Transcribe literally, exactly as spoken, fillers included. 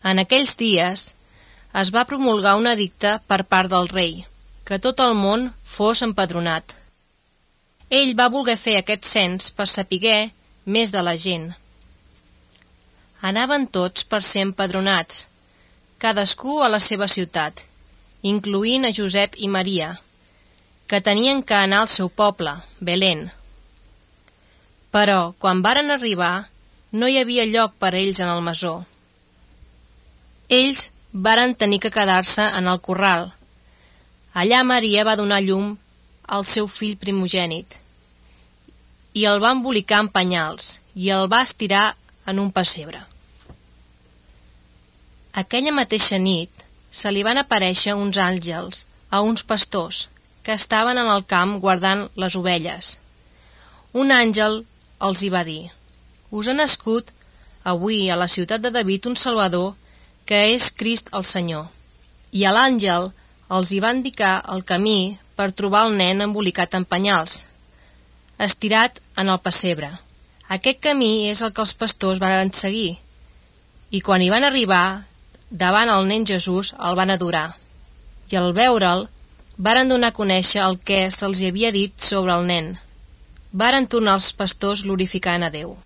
En aquells dies es va promulgar un edicte per part del rei, que tot el món fos empadronat. Ell va voler fer aquest cens per sapiguer més de la gent. Anaven tots per ser empadronats, cadascú a la seva ciutat, incloent a Josep i Maria, que tenien que anar al seu poble, Belén. Però, quan varen arribar, no hi havia lloc per a ells en el masó. Ells varen tenir que quedar-se en el corral. Allà Maria va donar llum al seu fill primogènit, i el va embolicar en penyals, i el va estirar en un pessebre. Aquella mateixa nit se li van aparèixer uns àngels a uns pastors que estaven en el camp guardant les ovelles. Un àngel els hi va dir: «Us ha nascut avui a la ciutat de David un Salvador, que és Crist el Senyor». I a l'àngel els hi va indicar el camí per trobar el nen embolicat en penyals, estirat en el pessebre. Aquest camí és el que els pastors van seguir, i quan hi van arribar, davant el nen Jesús el van adorar, i al veure'l varen donar a conèixer el que se'ls havia dit sobre el nen. Varen tornar els pastors glorificant a Déu.